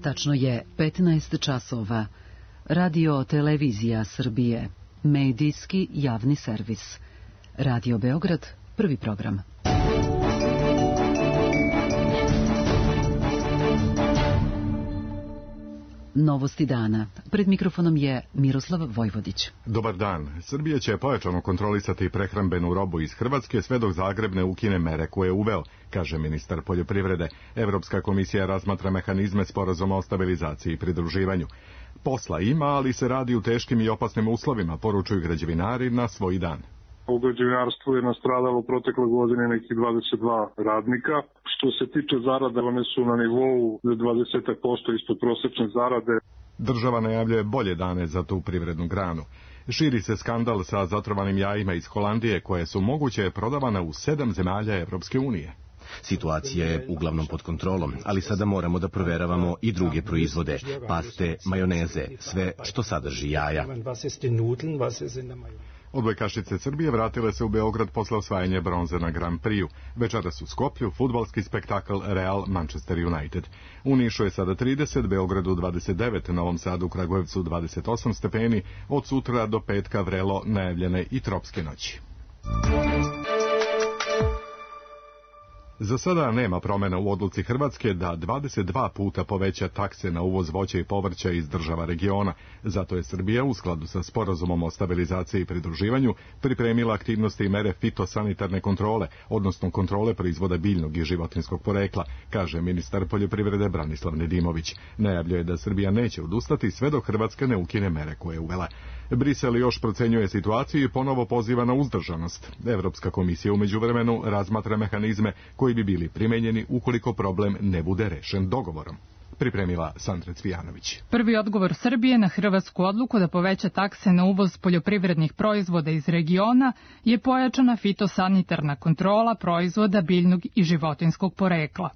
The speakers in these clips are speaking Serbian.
Tačno je 15 časova. Radio Televizija Srbije. Medijski javni servis. Radio Beograd, prvi program. Novosti dana. Pred mikrofonom je Miroslav Vojvodić. Dobar dan. Srbija će pojačano kontrolisati prehrambenu robu iz Hrvatske sve dok Zagreb ne ukine mere koje je uveo, kaže ministar poljoprivrede. Evropska komisija razmatra mehanizme sporazuma o stabilizaciji i pridruživanju. Posla ima, ali se radi u teškim i opasnim uslovima, poručuju građevinari na svoj dan. U građevinarstvu je nastradalo protekle godine nekih 22 radnika. Što se tiče zarada, one su na nivou 20% ispod prosečne zarade. Država najavljuje bolje dane za tu privrednu granu. Širi se skandal sa zatrovanim jajima iz Holandije, koje su moguće prodavana u 7 zemalja Evropske unije. Situacija je uglavnom pod kontrolom, ali sada moramo da proveravamo i druge proizvode, paste, majoneze, sve što sadrži jaja. Odbojkašice Srbije vratile se u Beograd posle osvajanja bronze na Grand Prix-u. Večeras u Skoplju fudbalski spektakl Real Manchester United. U Nišu je sada 30, Beogradu 29, Novom Sadu, Kragujevcu 28 stepeni, od sutra do petka vrelo najavljene i tropske noći. Za sada nema promjena u odluci Hrvatske da 22 puta poveća takse na uvoz voća i povrća iz država regiona. Zato je Srbija u skladu sa sporazumom o stabilizaciji i pridruživanju pripremila aktivnosti i mere fitosanitarne kontrole, odnosno kontrole proizvoda biljnog i životinjskog porekla, kaže ministar poljoprivrede Branislav Nedimović. Najavljuje da Srbija neće odustati sve dok Hrvatska ne ukine mere koje je uvela. Brisel još procenjuje situaciju i ponovo poziva na uzdržanost. Evropska komisija u međuvremenu razmatra mehanizme koji bi bili primenjeni ukoliko problem ne bude rešen dogovorom. Pripremila Sandra Cvijanović. Prvi odgovor Srbije na hrvatsku odluku da poveća takse na uvoz poljoprivrednih proizvoda iz regiona je pojačana fitosanitarna kontrola proizvoda biljnog i životinjskog porekla.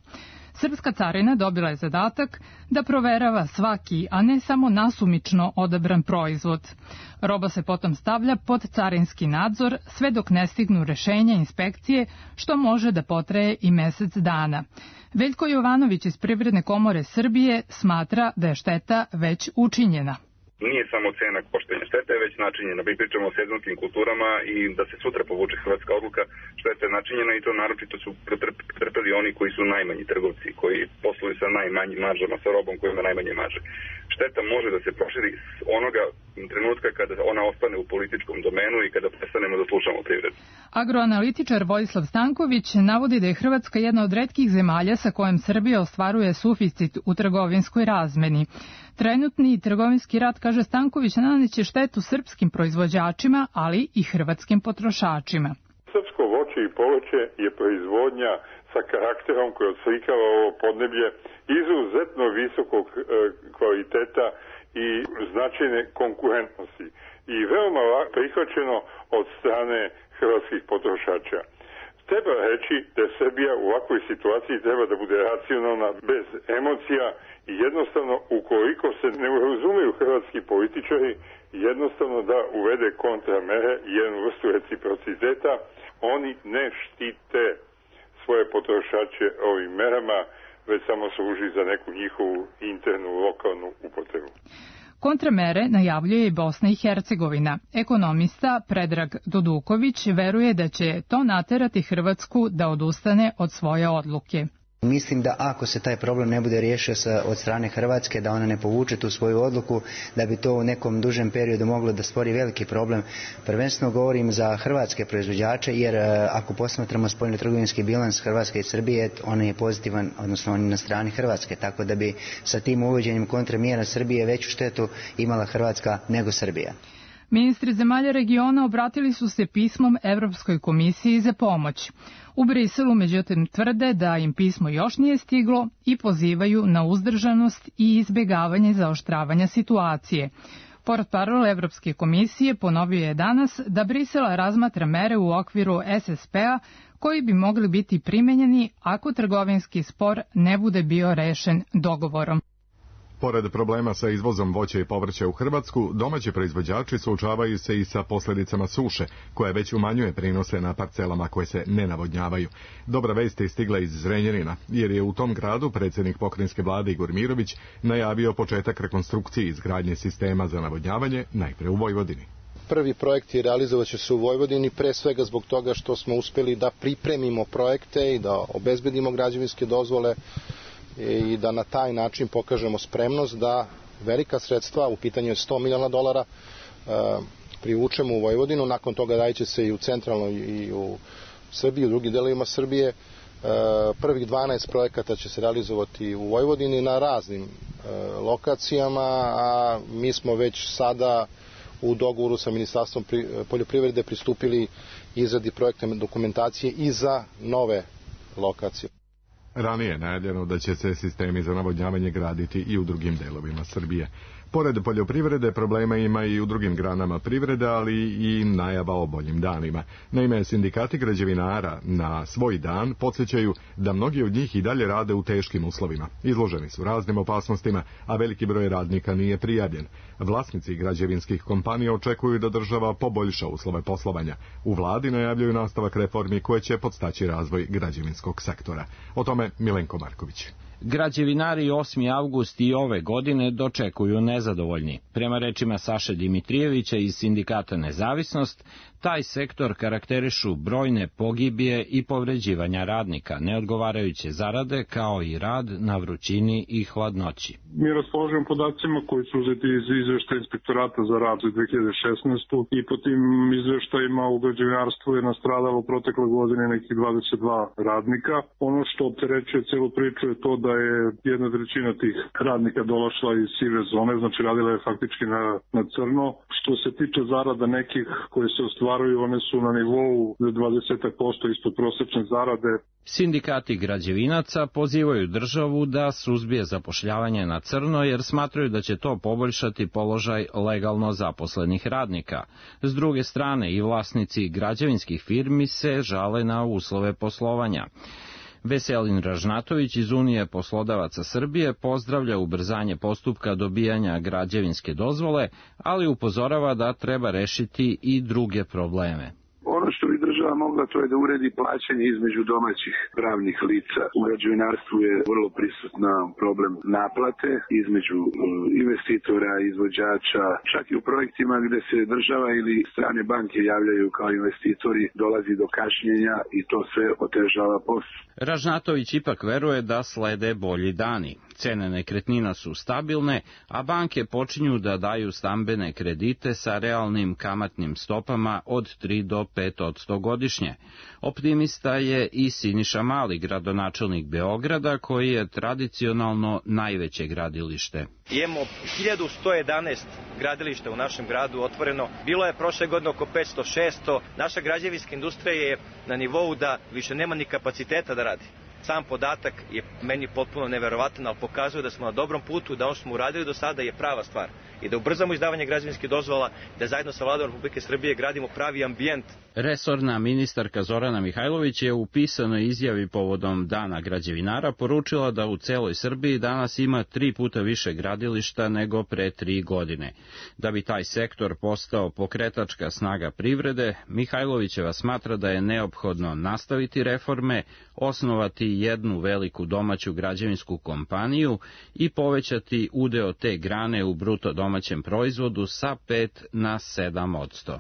Srpska carina dobila je zadatak da proverava svaki, a ne samo nasumično odabran proizvod. Roba se potom stavlja pod carinski nadzor sve dok ne stignu rešenja inspekcije, što može da potraje i mesec dana. Veljko Jovanović iz Privredne komore Srbije smatra da je šteta već učinjena. Nije samo cena koštanja štete, već načinjena. Mi pričamo o sezonskim kulturama i da se sutra povuče hrvatska odluka, šteta je načinjena i to naročito su pretrpeli oni koji su najmanji trgovci, koji posluju sa najmanjim maržama, sa robom koja ima najmanje marže. Šteta može da se proširi s onoga trenutka kada ona ostane u političkom domenu i kada prestanemo da slušamo privredu. Agroanalitičar Vojislav Stanković navodi da je Hrvatska jedna od retkih zemalja sa kojom Srbija ostvaruje suficit u trgovinskoj razmeni. Trenutni trgovinski rat, kaže Stanković, naneće štetu srpskim proizvođačima, ali i hrvatskim potrošačima. Srpsko voće i povrće je proizvodnja sa karakterom koji odslikava ovo podneblje izuzetno visokog kvaliteta i značajne konkurentnosti i veoma prihvaćeno od strane hrvatskih potrošača. Treba reći da Srbija u ovakvoj situaciji treba da bude racionalna, bez emocija i jednostavno, ukoliko se ne razumiju hrvatski političari, jednostavno da uvede kontramere i jednu vrstu reciprociteta. Oni ne štite svoje potrošače ovim merama, već samo služi za neku njihovu internu lokalnu upotrebu. Kontramere najavljuje i Bosna i Hercegovina. Ekonomista Predrag Duduković veruje da će to naterati Hrvatsku da odustane od svoje odluke. Mislim da ako se taj problem ne bude riješio od strane Hrvatske, da ona ne povuče tu svoju odluku, da bi to u nekom dužem periodu moglo da stvori veliki problem. Prvenstveno govorim za hrvatske proizvođače, jer ako posmatramo spoljnotrgovinski bilans Hrvatske i Srbije, on je pozitivan, odnosno on je na strani Hrvatske, tako da bi sa tim uvođenjem kontramjera Srbije veću štetu imala Hrvatska nego Srbija. Ministri zemalja regiona obratili su se pismom Evropskoj komisiji za pomoć. U Briselu, međutim, tvrde da im pismo još nije stiglo i pozivaju na uzdržanost i izbjegavanje zaoštravanja situacije. Portparol Evropske komisije ponovio je danas da Brisel razmatra mere u okviru SSP-a koji bi mogli biti primenjeni ako trgovinski spor ne bude bio rešen dogovorom. Pored problema sa izvozom voća i povrća u Hrvatsku, domaći proizvođači suočavaju se i sa posljedicama suše, koja već umanjuje prinose na parcelama koje se ne navodnjavaju. Dobra vest je stigla iz Zrenjanina, jer je u tom gradu predsjednik pokrajinske vlade Igor Mirović najavio početak rekonstrukcije izgradnje sistema za navodnjavanje, najpre u Vojvodini. Prvi projekti realizovat će se u Vojvodini, pre svega zbog toga što smo uspjeli da pripremimo projekte i da obezbedimo građevinske dozvole i da na taj način pokažemo spremnost da velika sredstva, u pitanju je $100 miliona, privučemo u Vojvodinu. Nakon toga radit će se i u centralnoj i u Srbiji, u drugim delovima Srbije. Prvih 12 projekata će se realizovati u Vojvodini na raznim lokacijama, a mi smo već sada u dogovoru sa Ministarstvom poljoprivrede pristupili izradi projektne dokumentacije i za nove lokacije. Ranije je najavljeno da će se sistemi za navodnjavanje graditi i u drugim delovima Srbije. Pored poljoprivrede problema ima i u drugim granama privrede, ali i najava o boljim danima. Naime, sindikati građevinara na svoj dan podsjećaju da mnogi od njih i dalje rade u teškim uslovima. Izloženi su raznim opasnostima, a veliki broj radnika nije prijavljen. Vlasnici građevinskih kompanija očekuju da država poboljša uslove poslovanja. U vladi najavljuju nastavak reformi koje će podstaći razvoj građevinskog sektora. O tome Milenko Marković. Građevinari 8. avgust i ove godine dočekuju nezadovoljni. Prema rečima Saše Dimitrijevića iz sindikata Nezavisnost, taj sektor karakterišu brojne pogibije i povređivanja radnika, neodgovarajuće zarade kao i rad na vrućini i hladnoći. Mi raspolažemo podacima koji su uzeti iz izveštaja Inspektorata za rad za 2016. i po tim izveštajima u građevinarstvu je nastradalo u protekle godine nekih 22 radnika. Ono što opterećuje celu priču je to da je 1/3 tih radnika došla iz sive zone, znači radila je faktički na crno. Što se tiče zarada nekih koje se ostvaruju, one su na nivou 20% ispod prosečne zarade. Sindikati građevinaca pozivaju državu da suzbije zapošljavanje na crno jer smatraju da će to poboljšati položaj legalno zaposlenih radnika. S druge strane i vlasnici građevinskih firmi se žale na uslove poslovanja. Veselin Ražnatović iz Unije poslodavaca Srbije pozdravlja ubrzanje postupka dobijanja građevinske dozvole, ali upozorava da treba rešiti i druge probleme. Ono što bi država mogla, to je da uredi plaćanje između domaćih pravnih lica. U građevinarstvu je vrlo prisutna problem naplate između investitora, izvođača, čak i u projektima gde se država ili strane banke javljaju kao investitori, dolazi do kašnjenja i to sve otežava posao. Ražnatović ipak veruje da slede bolji dani. Cene nekretnina su stabilne, a banke počinju da daju stambene kredite sa realnim kamatnim stopama od 3 do 5% godišnje. Optimista je i Siniša Mali, gradonačelnik Beograda, koji je tradicionalno najveće gradilište. Imamo 1111 gradilišta u našem gradu otvoreno. Bilo je prošle godine oko 500-600. Naša građevinska industrija je na nivou da više nema ni kapaciteta da radi. Sam podatak je meni potpuno neverovatan, ali pokazuje da smo na dobrom putu, da ono što smo uradili do sada je prava stvar. I da ubrzamo izdavanje građevinskih dozvola, da zajedno sa Vladom Republike Srbije gradimo pravi ambijent. Resorna ministarka Zorana Mihajlović je u pisanoj izjavi povodom Dana građevinara poručila da u celoj Srbiji danas ima 3 puta više gradilišta nego pre 3 godine. Da bi taj sektor postao pokretačka snaga privrede, Mihajlovićeva smatra da je neophodno nastaviti reforme, osnovati jednu veliku domaću građevinsku kompaniju i povećati udeo te grane u bruto domaćem proizvodu sa 5 na 7%.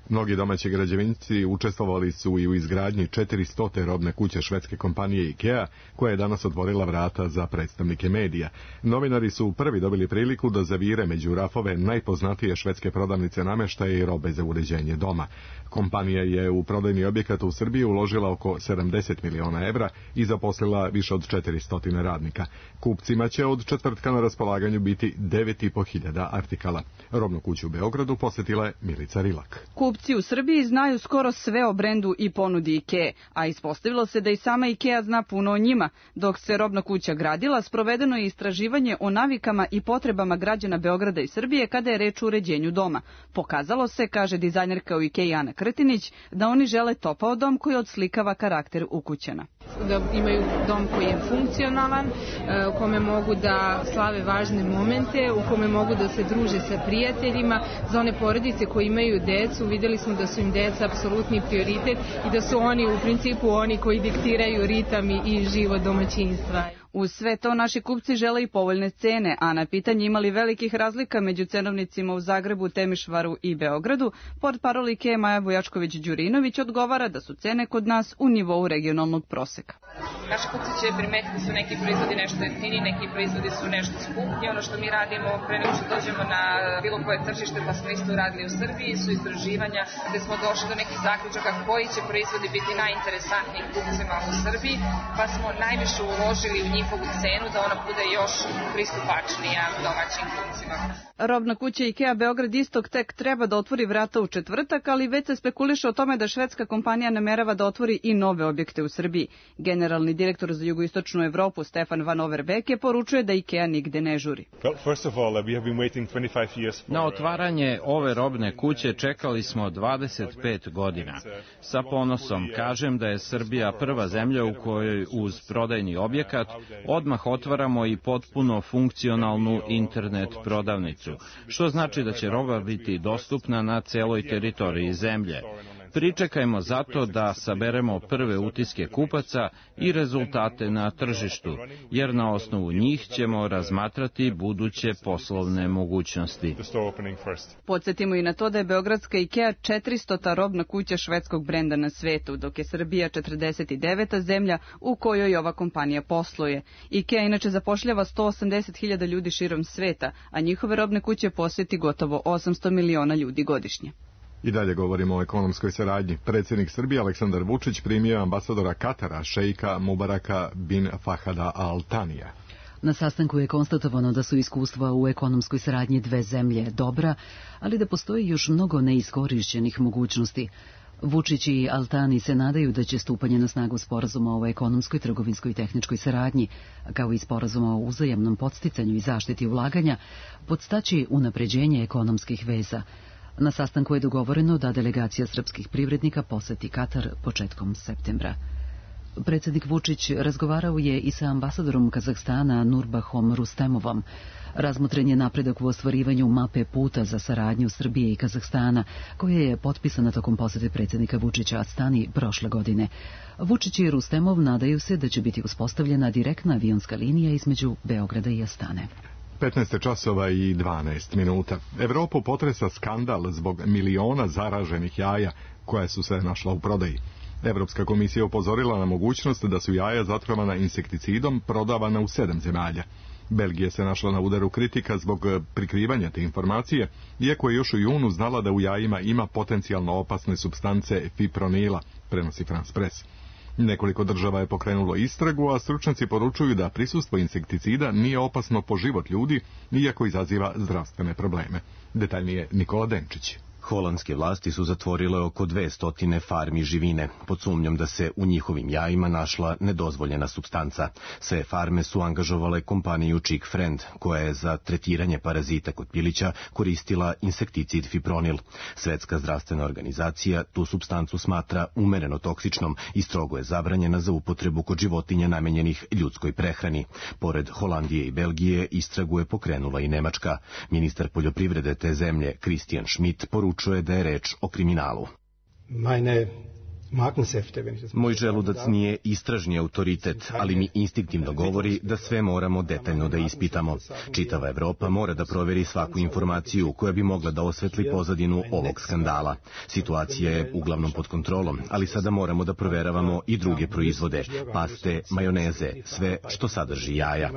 Mnogi domaći građevinci učestvovali su i u izgradnji 400. robne kuće švedske kompanije IKEA, koja je danas otvorila vrata za predstavnike medija. Novinari su prvi dobili priliku da zavire među rafove najpoznatije švedske prodavnice namještaja i robe za uređenje doma. Kompanija je u prodajni objekat u Srbiji uložila oko 70 miliona evra i zaposlila više od 400 radnika. Kupcima će od četvrtka na raspolaganju biti 9.500 artikala. Robnu kuću u Beogradu posjetila je Milica Rilak. kupci u Srbiji znaju skoro sve o brendu i ponudi IKEA, a ispostavilo se da i sama IKEA zna puno o njima. Dok se robna kuća gradila, sprovedeno je istraživanje o navikama i potrebama građana Beograda i Srbije kada je reč o uređenju doma. Pokazalo se, kaže dizajnerka u IKEA Ana Krtinić, da oni žele topao dom koji odslikava karakter ukućana. Da imaju dom koji je funkcionalan, u kome mogu da slave važne momente, u kome mogu da se druže sa prijateljima. Za one porodice koji imaju decu, videli smo da su im deca apsolutni prioritet i da su oni u principu oni koji diktiraju ritam i život domaćinstva. Uz sve to naši kupci žele i povoljne cene, a na pitanje imali velikih razlika među cenovnicima u Zagrebu, Temišvaru i Beogradu, portparol IKEA Maja Bojačković-Đurinović odgovara da su cene kod nas u nivou regionalnog proseka. Naši kupci će primetiti da su neki proizvodi nešto jeftini, neki proizvodi su nešto skuplji. Ono što mi radimo pre nego što dođemo na bilo koje tržište, pa smo isto radili u Srbiji, su istraživanja gde smo došli do nekih zaključaka koji će proizvodi biti najinteresantniji kupcima u Srbiji, pa smo najviše uložili u njihovu cenu da ona bude još pristupačnija domaćim kupcima. Robna kuća IKEA Beograd Istok tek treba da otvori vrata u četvrtak, ali već se spekuliše o tome da švedska kompanija namerava da otvori i nove objekte u Srbiji. Generalni direktor za jugoistočnu Evropu Stefan Van Overbeke poručuje da IKEA nigde ne žuri. Na otvaranje ove robne kuće čekali smo 25 godina. Sa ponosom kažem da je Srbija prva zemlja u kojoj uz prodajni objekat odmah otvaramo i potpuno funkcionalnu internet prodavnicu, što znači da će roba biti dostupna na celoj teritoriji zemlje. Pričekajmo zato da saberemo prve utiske kupaca i rezultate na tržištu, jer na osnovu njih ćemo razmatrati buduće poslovne mogućnosti. Podsjetimo i na to da je beogradska IKEA 400. robna kuća švedskog brenda na svetu, dok je Srbija 49. zemlja u kojoj ova kompanija posluje. IKEA inače zapošljava 180.000 ljudi širom sveta, a njihove robne kuće posjeti gotovo 800 miliona ljudi godišnje. I dalje govorimo o ekonomskoj saradnji. Predsjednik Srbije Aleksandar Vučić primio ambasadora Katara, šejka Mubaraka bin Fahada Al Tanija. Na sastanku je konstatovano da su iskustva u ekonomskoj saradnji dve zemlje dobra, ali da postoji još mnogo neiskorišćenih mogućnosti. Vučić i Al Tani se nadaju da će stupanje na snagu sporazuma o ekonomskoj, trgovinskoj i tehničkoj saradnji, kao i sporazuma o uzajamnom podsticanju i zaštiti ulaganja, podstaći unapređenje ekonomskih veza. Na sastanku je dogovoreno da delegacija srpskih privrednika poseti Katar početkom septembra. Predsjednik Vučić razgovarao je i sa ambasadorom Kazahstana Nurbahom Rustemovom. Razmotren je napredak u ostvarivanju mape puta za saradnju Srbije i Kazahstana, koja je potpisana tokom posete predsjednika Vučića Astani prošle godine. Vučić i Rustemov nadaju se da će biti uspostavljena direktna avionska linija između Beograda i Astane. 15 časova i 12 minuta. Evropu potresa skandal zbog miliona zaraženih jaja koja su se našla u prodaji. Evropska komisija upozorila na mogućnost da su jaja zatrovana insekticidom prodavana u 7 zemalja. Belgija se našla na udaru kritika zbog prikrivanja te informacije, iako je još u junu znala da u jajima ima potencijalno opasne supstance fipronila, prenosi France Press. Nekoliko država je pokrenulo istragu, a stručnjaci poručuju da prisustvo insekticida nije opasno po život ljudi, iako izaziva zdravstvene probleme. Detaljnije Nikola Denčić. Holandske vlasti su zatvorile oko 200 farmi živine, pod sumnjom da se u njihovim jajima našla nedozvoljena supstanca. Sve farme su angažovale kompaniju Chick Friend, koja je za tretiranje parazita kod pilića koristila insekticid fipronil. Svetska zdravstvena organizacija tu supstancu smatra umereno toksičnom i strogo je zabranjena za upotrebu kod životinja namenjenih ljudskoj prehrani. Pored Holandije i Belgije, istragu je pokrenula i Nemačka. Ministar poljoprivrede te zemlje, Christian Schmidt, poručuje da je reč o kriminalu. Moj želudac nije istražni autoritet, ali mi instinktivno govori da sve moramo detaljno da ispitamo. Čitava Evropa mora da proveri svaku informaciju koja bi mogla da osvetli pozadinu ovog skandala. Situacija je uglavnom pod kontrolom, ali sada moramo da proveravamo i druge proizvode, paste, majoneze, sve što sadrži jaja.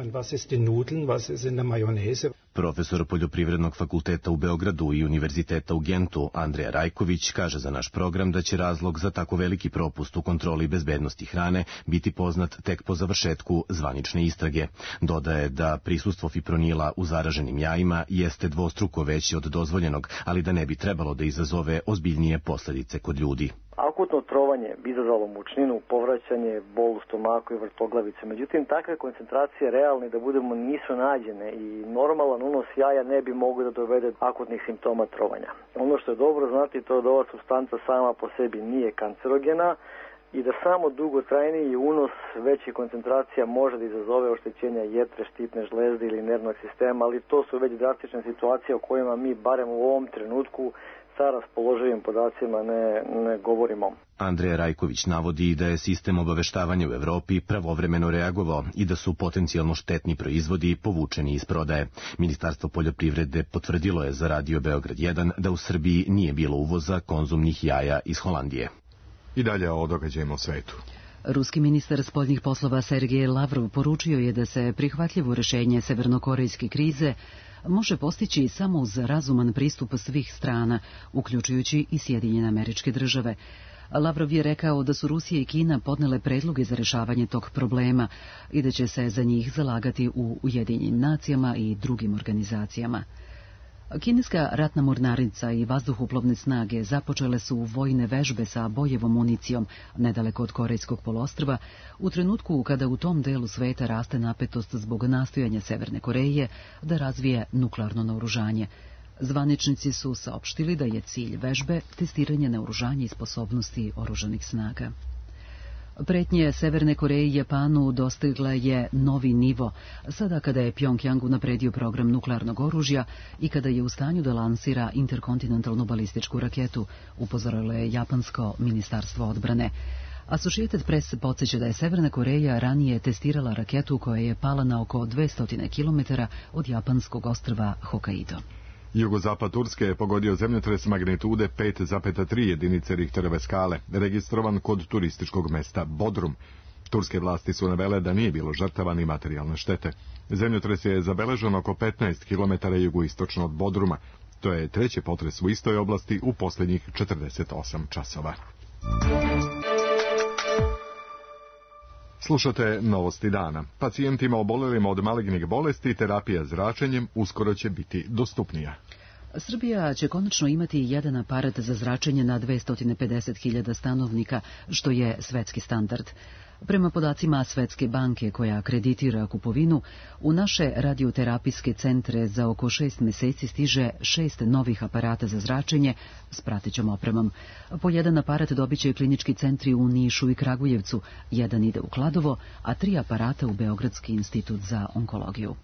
Profesor Poljoprivrednog fakulteta u Beogradu i Univerziteta u Gentu Andrija Rajković kaže za naš program da će razlog za tako veliki propust u kontroli bezbednosti hrane biti poznat tek po završetku zvanične istrage. Dodaje da prisustvo fipronila u zaraženim jajima jeste dvostruko veće od dozvoljenog, ali da ne bi trebalo da izazove ozbiljnije posledice kod ljudi. Akutno trovanje bi izazvalo mučninu, povraćanje, bol u stomaku i vrtoglavice. Međutim, takve koncentracije realne da budemo nisu nađene i normalan unos jaja ne bi mogao da dovede akutnih simptoma trovanja. Ono što je dobro znati to da ova supstanca sama po sebi nije kancerogena i da samo dugotrajniji unos većih koncentracija može da izazove oštećenja jetre, štitne žlezde ili nervnog sistema, ali to su već drastične situacije o kojima mi barem u ovom trenutku sa raspoloživim podacima ne govorimo. Andrija Rajković navodi da je sistem obaveštavanja u Evropi pravovremeno reagovao i da su potencijalno štetni proizvodi povučeni iz prodaje. Ministarstvo poljoprivrede potvrdilo je za Radio Beograd 1 da u Srbiji nije bilo uvoza konzumnih jaja iz Holandije. I dalje o događajima u svetu. Ruski ministar spoljnih poslova Sergej Lavrov poručio je da se prihvatljivo rešenje severnokorejske krize može postići samo uz razuman pristup svih strana, uključujući i Sjedinjene Američke Države. Lavrov je rekao da su Rusija i Kina podnele predloge za rešavanje tog problema i da će se za njih zalagati u Ujedinjenim nacijama i drugim organizacijama. Kineska ratna mornarica i vazduhoplovne snage započele su vojne vežbe sa bojevom municijom nedaleko od Korejskog poluostrva u trenutku kada u tom delu sveta raste napetost zbog nastojanja Severne Koreje da razvije nuklearno naoružanje. Zvaničnici su saopštili da je cilj vežbe testiranje naoružanja i sposobnosti oružanih snaga. Pretnje Severne Koreje i Japanu dostigla je novi nivo, sada kada je Pjongjang unapredio program nuklearnog oružja i kada je u stanju da lansira interkontinentalnu balističku raketu, upozorilo je japansko ministarstvo odbrane. Associated Press podsjeća da je Severna Koreja ranije testirala raketu koja je pala na oko 200 km od japanskog ostrva Hokkaido. Jugozapad Turske je pogodio zemljotres magnitude 5,3 jedinice Richterove skale, registrovan kod turističkog mesta Bodrum. Turske vlasti su navele da nije bilo žrtava ni materijalne štete. Zemljotres je zabeležen oko 15 km jugoistočno od Bodruma. To je treći potres u istoj oblasti u posljednjih 48 časova. Slušate Novosti dana. Pacijentima obolelima od malignih bolesti terapija zračenjem uskoro će biti dostupnija. Srbija će konačno imati jedan aparat za zračenje na 250.000 stanovnika, što je svetski standard. Prema podacima Svetske banke koja akreditira kupovinu, u naše radioterapijske centre za oko 6 meseci stiže 6 novih aparata za zračenje s pratećom opremom. Po jedan aparat dobit će klinički centri u Nišu i Kragujevcu, jedan ide u Kladovo, a 3 aparata u Beogradski institut za onkologiju.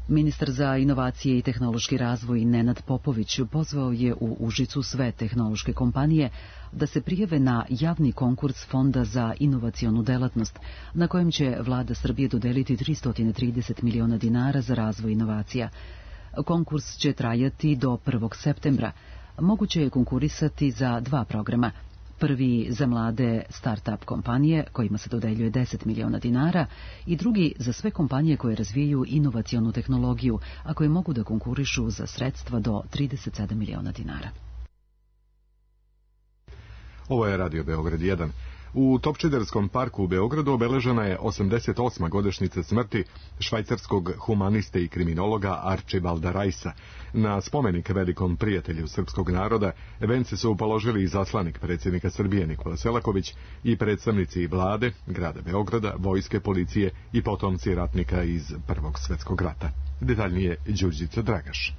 Ministar za inovacije i tehnološki razvoj Nenad Popović pozvao je u Užicu sve tehnološke kompanije da se prijave na javni konkurs Fonda za inovacionu delatnost, na kojem će vlada Srbije dodeliti 330 miliona dinara za razvoj inovacija. Konkurs će trajati do 1. septembra. Moguće je konkurisati za 2 programa. Prvi za mlade start-up kompanije, kojima se dodeljuje 10 miliona dinara, i drugi za sve kompanije koje razvijaju inovacionu tehnologiju, a koje mogu da konkurišu za sredstva do 37 miliona dinara. Ovo je Radio Beograd 1. U Topčiderskom parku u Beogradu obeležena je 88. godišnjica smrti švajcarskog humaniste i kriminologa Arčibalda Rajsa. Na spomenik velikom prijatelju srpskog naroda vence su položili izaslanik predsjednika Srbije Nikola Selaković i predstavnici vlade, grada Beograda, vojske, policije i potomci ratnika iz Prvog svjetskog rata. Detaljnije Đurđica Dragaš.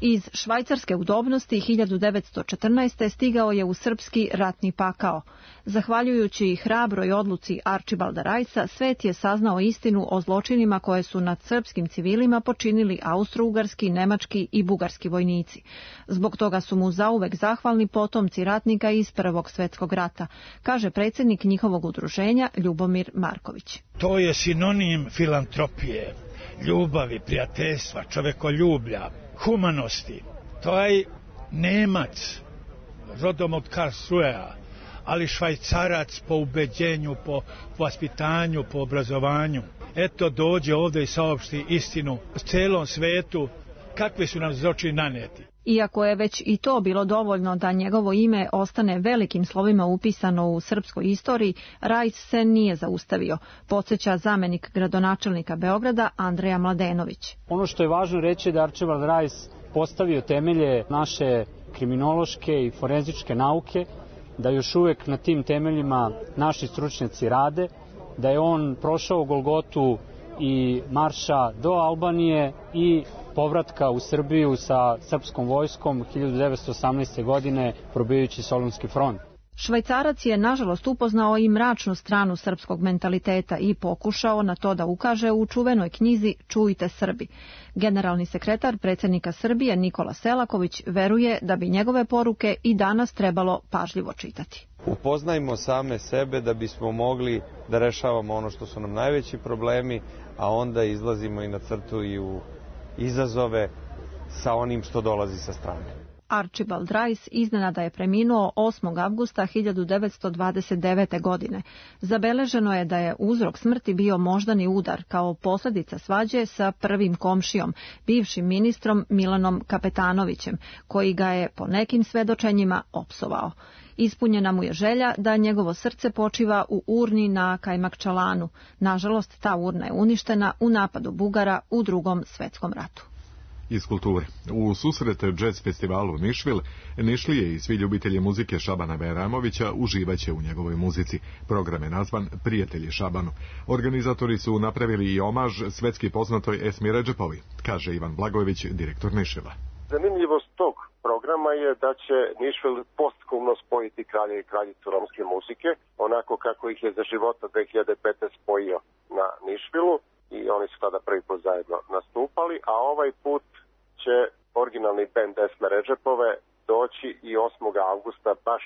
Iz švajcarske udobnosti 1914. stigao je u srpski ratni pakao. Zahvaljujući hrabroj odluci Arčibalda Rajsa, svet je saznao istinu o zločinima koje su nad srpskim civilima počinili austrougarski, nemački i bugarski vojnici. Zbog toga su mu zauvek zahvalni potomci ratnika iz Prvog svjetskog rata, kaže predsjednik njihovog udruženja Ljubomir Marković. To je sinonim filantropije, ljubavi, prijateljstva, čovekoljublja, humanosti. To je Nemac, rodom od Karlsruhea, ali Švajcarac po ubeđenju, po vaspitanju, po obrazovanju. Eto, dođe ovdje i saopšti istinu celom svetu kakve su nam zločini naneti. Iako je već i to bilo dovoljno da njegovo ime ostane velikim slovima upisano u srpskoj istoriji, Rajs se nije zaustavio, podsjeća zamenik gradonačelnika Beograda Andreja Mladenović. Ono što je važno reći je da Arčibald Rajs postavio temelje naše kriminološke i forenzičke nauke, da još uvijek na tim temeljima naši stručnjaci rade, da je on prošao Golgotu i marša do Albanije i povratka u Srbiju sa srpskom vojskom 1918. godine probijajući Solunski front. Švajcarac je nažalost upoznao i mračnu stranu srpskog mentaliteta i pokušao na to da ukaže u čuvenoj knjizi Čujte Srbi. Generalni sekretar predsjednika Srbije Nikola Selaković veruje da bi njegove poruke i danas trebalo pažljivo čitati. Upoznajmo same sebe da bismo mogli da rešavamo ono što su nam najveći problemi, a onda izlazimo i na crtu i u izazove sa onim što dolazi sa strane. Arčibald Rajs iznenada je preminuo 8. avgusta 1929. godine. Zabeleženo je da je uzrok smrti bio moždani udar kao posljedica svađe sa prvim komšijom, bivšim ministrom Milanom Kapetanovićem, koji ga je po nekim svedočenjima opsovao. Ispunjena mu je želja da njegovo srce počiva u urni na Kajmakčalanu. Nažalost, ta urna je uništena u napadu Bugara u Drugom svjetskom ratu. Iz kulture. U susret jazz festivalu Nišvil, Nišlije i svi ljubitelji muzike Šabana Bajramovića uživaće u njegovoj muzici. Program je nazvan Prijatelji Šabanu. Organizatori su napravili i omaž svetski poznatoj Esmi Redžepovi, kaže Ivan Blagojević, direktor Nišvila. Zanimljivost tog programa je da će Nišvil postkumno spojiti kralje i kraljicu romske muzike, onako kako ih je za života 2015 spojio na Nišvilu. I oni su tada prvi put zajedno nastupali, a ovaj put će originalni bend Esme Redžepove doći i 8. avgusta baš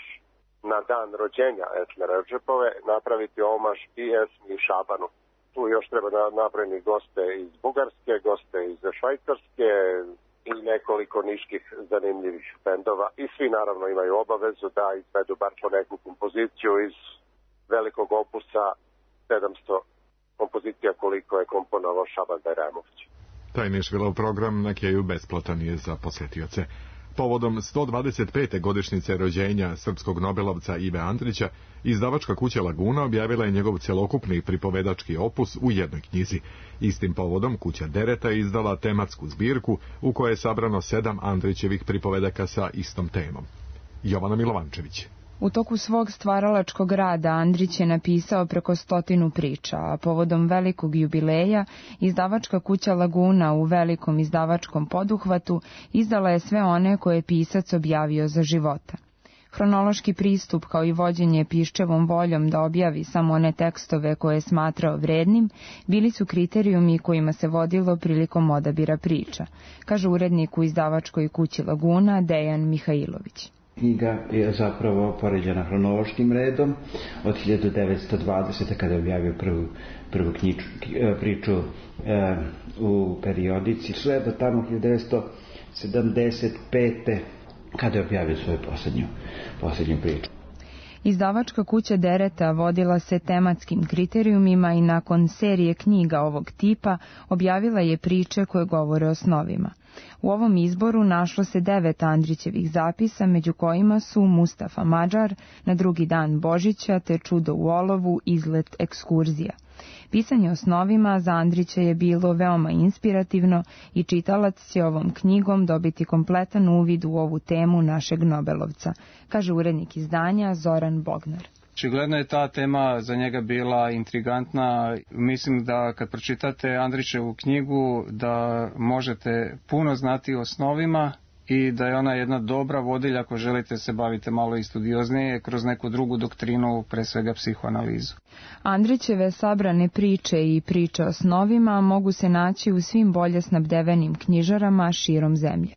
na dan rođenja Esme Redžepove napraviti omaž i Esmi i Šabanu. Tu još treba napraviti goste iz Bugarske, goste iz Švajcarske i nekoliko niških zanimljivih bendova i svi naravno imaju obavezu da izvedu bar po neku kompoziciju iz velikog opusa 700 kompozicija koliko je komponovao Šaban Bajramović. Taj Nišvilov program na Keju besplatan je za posjetioce. Povodom 125. godišnjice rođenja srpskog nobelovca Ive Andrića, izdavačka kuća Laguna objavila je njegov cjelokupni pripovedački opus u jednoj knjizi. Istim povodom kuća Dereta je izdala tematsku zbirku u kojoj je sabrano 7 Andrićevih pripovedaka sa istom temom. Jovana Milovančević. U toku svog stvaralačkog rada Andrić je napisao preko 100 priča, a povodom velikog jubileja izdavačka kuća Laguna u velikom izdavačkom poduhvatu izdala je sve one koje je pisac objavio za života. Hronološki pristup kao i vođenje piščevom voljom da objavi samo one tekstove koje je smatrao vrednim, bili su kriterijumi kojima se vodilo prilikom odabira priča, kaže urednik u izdavačkoj kući Laguna Dejan Mihajlović. Knjiga je zapravo poređena hronološkim redom od 1920. kada je objavio prvu priču u periodici, sve do tamo 1975. kada je objavio svoju posljednju priču. Izdavačka kuća Dereta vodila se tematskim kriterijumima i nakon serije knjiga ovog tipa objavila je priče koje govore o snovima. U ovom izboru našlo se 9 Andrićevih zapisa, među kojima su Mustafa Mađar, Na drugi dan Božića te Čudo u olovu, Izlet ekskurzija. Pisanje o snovima za Andrića je bilo veoma inspirativno i čitalac će ovom knjigom dobiti kompletan uvid u ovu temu našeg Nobelovca, kaže urednik izdanja Zoran Bognar. Očigledno je ta tema za njega bila intrigantna. Mislim da kad pročitate Andrićevu knjigu da možete puno znati o snovima i da je ona jedna dobra vodilja ako želite se bavite malo i studioznije kroz neku drugu doktrinu, pre svega psihoanalizu. Andrićeve sabrane priče i priče o snovima mogu se naći u svim bolje snabdevenim knjižarama širom zemlje.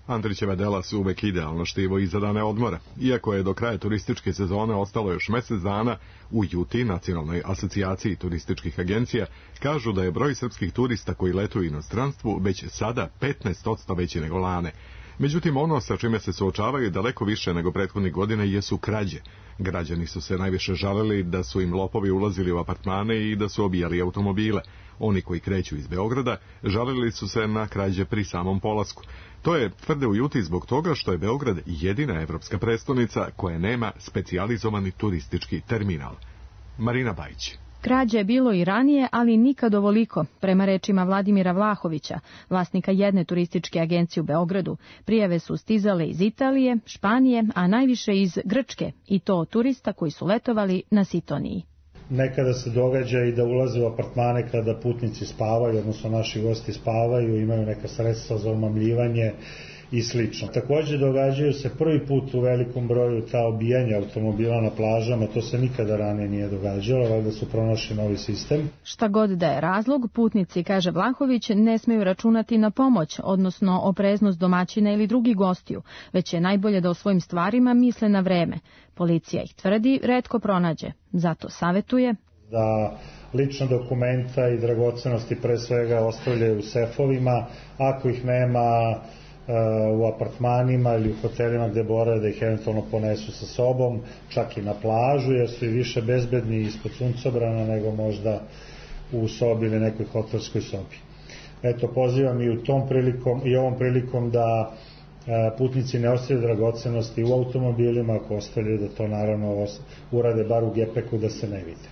Andrićeva dela su uvek idealno štivo i za dane odmora. Iako je do kraja turističke sezone ostalo još mjesec dana, u JUTI, Nacionalnoj asocijaciji turističkih agencija, kažu da je broj srpskih turista koji letuju u inostranstvu već sada 15% veći nego lane. Međutim, ono sa čime se suočavaju daleko više nego prethodnih godina jesu krađe. Građani su se najviše žalili da su im lopovi ulazili u apartmane i da su obijali automobile. Oni koji kreću iz Beograda žalili su se na krađe pri samom polasku. To je, tvrde u Juti, zbog toga što je Beograd jedina evropska prestonica koja nema specijalizovani turistički terminal. Marina Bajić. Krađe je bilo i ranije, ali nikad ovoliko, prema rečima Vladimira Vlahovića, vlasnika jedne turističke agencije u Beogradu. Prijave su stizale iz Italije, Španije, a najviše iz Grčke, i to od turista koji su letovali na Sitoniji. Nekada se događa i da ulaze u apartmane kada putnici spavaju, odnosno naši gosti spavaju, imaju neka sredstva za omamljivanje i slično. Također događaju se prvi put u velikom broju ta obijanja automobila na plažama, to se nikada ranije nije događalo, valjda su pronašli novi sistem. Šta god da je razlog, putnici, kaže Vlahović, ne smeju računati na pomoć, odnosno opreznost domaćina ili drugih gostiju, već je najbolje da o svojim stvarima misle na vreme. Policija ih tvrdi, retko pronađe, zato savetuje da lična dokumenta i dragocenosti pre svega ostavljaju u sefovima, ako ih nema u apartmanima ili u hotelima gde borave, da ih eventualno ponesu sa sobom, čak i na plažu, jer su i više bezbedni ispod suncobrana nego možda u sobi ili nekoj hotelskoj sobi. Eto, pozivam i ovom prilikom da putnici ne ostavljaju dragocenosti u automobilima, ako ostavljaju da to naravno urade bar u gepeku da se ne vide.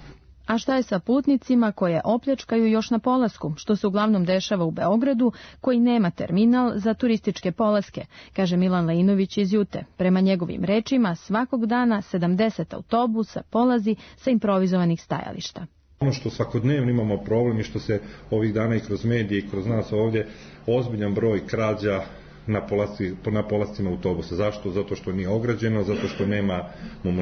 A šta je sa putnicima koje opljačkaju još na polasku, što se uglavnom dešava u Beogradu, koji nema terminal za turističke polaske, kaže Milan Lejinović iz Jute. Prema njegovim rečima, svakog dana 70 autobusa polazi sa improvizovanih stajališta. Ono što svakodnevno imamo problem i što se ovih dana i kroz medije i kroz nas ovdje, ozbiljan broj krađa na polascima autobusa. Zašto? Zato što nije ograđeno, zato što nemamo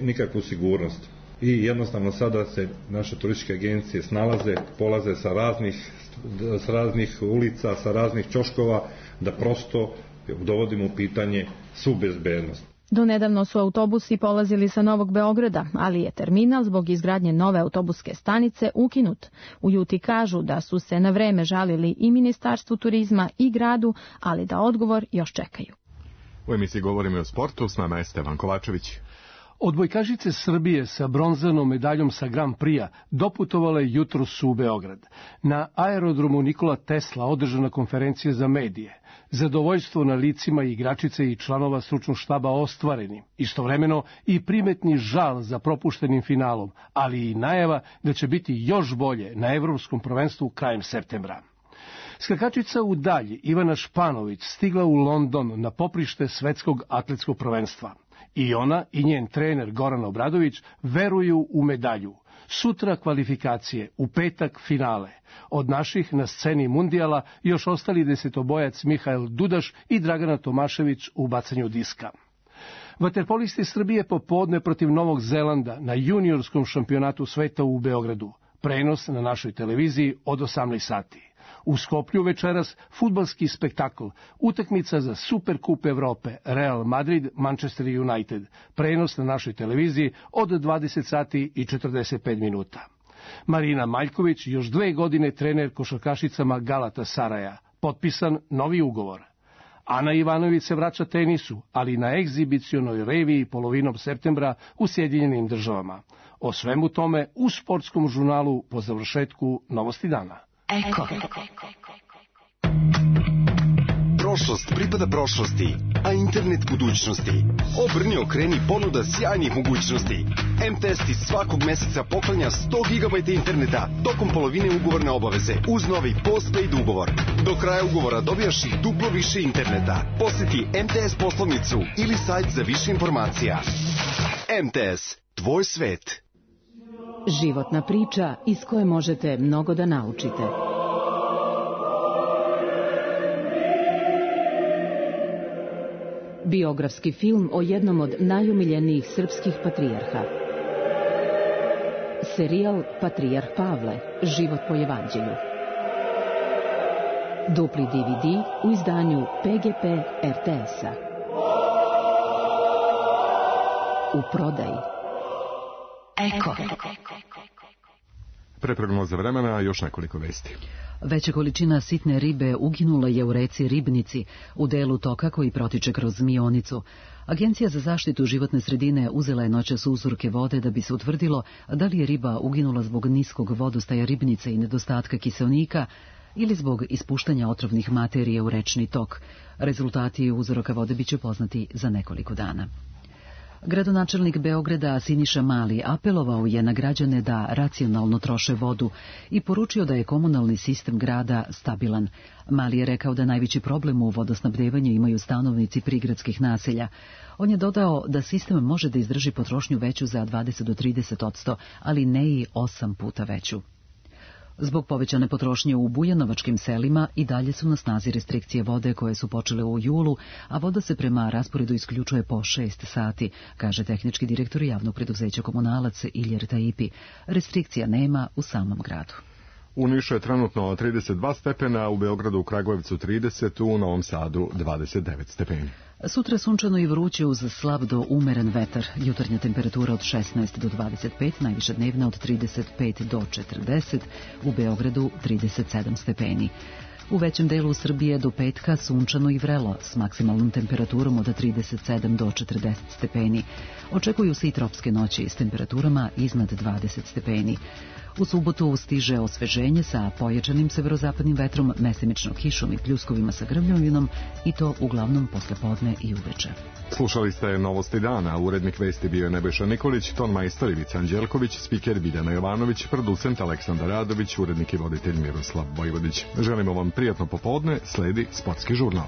nikakvu sigurnost. I jednostavno sada se naše turističke agencije snalaze, polaze sa raznih ulica, sa raznih ćoškova, da prosto dovodimo u pitanje svu bezbednost. Donedavno su autobusi polazili sa Novog Beograda, ali je terminal zbog izgradnje nove autobuske stanice ukinut. U Juti kažu da su se na vreme žalili i Ministarstvu turizma i gradu, ali da odgovor još čekaju. U emisiji govorimo o sportu, s nama je Stevan Kovačević. Odbojkašice Srbije sa bronzanom medaljom sa Grand Prix-a doputovale jutros u Beograd. Na aerodromu Nikola Tesla održana konferencija za medije. Zadovoljstvo na licima igračice i članova stručnog štaba ostvareni. Istovremeno i primetni žal za propuštenim finalom, ali i najava da će biti još bolje na Evropskom prvenstvu krajem septembra. Skakačica u dalji Ivana Španović stigla u London na poprište svetskog atletskog prvenstva. I ona i njen trener Goran Obradović veruju u medalju. Sutra kvalifikacije, u petak finale. Od naših na sceni mundijala još ostali desetobojac Mihael Dudaš i Dragana Tomašević u bacanju diska. Vaterpolisti Srbije popodne protiv Novog Zelanda na juniorskom šampionatu sveta u Beogradu. Prenos na našoj televiziji od 18 sati. U Skoplju večeras fudbalski spektakl, utakmica za Superkup Evrope, Real Madrid, Manchester United, prenos na našoj televiziji od 20 sati i 45 minuta. Marina Maljković još 2 godine trener košarkašicama Galatasaraja, potpisan novi ugovor. Ana Ivanović se vraća tenisu, ali na egzibicionoj reviji polovinom septembra u Sjedinjenim Državama. O svemu tome u sportskom žurnalu po završetku Novosti dana. Eko. Prošlost pripada prošlosti, a internet budućnosti. Obrni, okreni, ponuda sjajnih mogućnosti. MTS ti svakog meseca poklanja 100 GB interneta tokom polovine ugovorne obaveze uz novi postpaid ugovor. Do kraja ugovora dobijaš i duplo više interneta. Posjeti MTS poslovnicu ili sajt za više informacija. MTS, tvoj svet. Životna priča iz koje možete mnogo da naučite. Biografski film o jednom od najumiljenijih srpskih patrijarha. Serijal Patrijarh Pavle, život po evanđelju. Dupli DVD u izdanju PGP RTS-a. U prodaji. Eko. Pre prognoze vremena još nekoliko vesti. Veća količina sitne ribe uginula je u reci Ribnici, u delu toka koji protiče kroz Mionicu. Agencija za zaštitu životne sredine uzela je noćas uzorke vode da bi se utvrdilo da li je riba uginula zbog niskog vodostaja Ribnice i nedostatka kiseonika ili zbog ispuštanja otrovnih materija u rečni tok. Rezultati uzoraka vode biće poznati za nekoliko dana. Gradonačelnik Beograda Siniša Mali apelovao je na građane da racionalno troše vodu i poručio da je komunalni sistem grada stabilan. Mali je rekao da najveći problem u vodosnabdevanju imaju stanovnici prigradskih naselja. On je dodao da sistem može da izdrži potrošnju veću za 20 do 30%, ali ne i 8 puta veću. Zbog povećane potrošnje u bujanovačkim selima i dalje su na snazi restrikcije vode koje su počele u julu, a voda se prema rasporedu isključuje po 6 sati, kaže tehnički direktor javnog preduzeća Komunalac Iljer Tajipi. Restrikcija nema u samom gradu. U Nišu je trenutno 32 stepena, u Beogradu, u Kragujevcu 30, u Novom Sadu 29 stepeni. Sutra sunčano i vruće uz slab do umeren vetar. Jutarnja temperatura od 16 do 25, najviša dnevna od 35 do 40, u Beogradu 37 stepeni. U većem delu Srbije do petka sunčano i vrelo, s maksimalnom temperaturom od 37 do 40 stepeni. Očekuju se i tropske noći s temperaturama iznad 20 stepeni. U subotu stiže osveženje sa pojačanim severozapadnim vetrom, mesemično kišom i pljuskovima sa grmljovinom, i to uglavnom posle podne i uveče. Slušali ste Novosti dana, urednik vesti bio je Nebojša Nikolić, ton majstor Ivica Anđelković, spiker Biljana Jovanović, producent Aleksandar Radović, urednik i voditelj Miroslav Vojvodić. Želimo vam prijatno popodne, sledi sportski žurnal.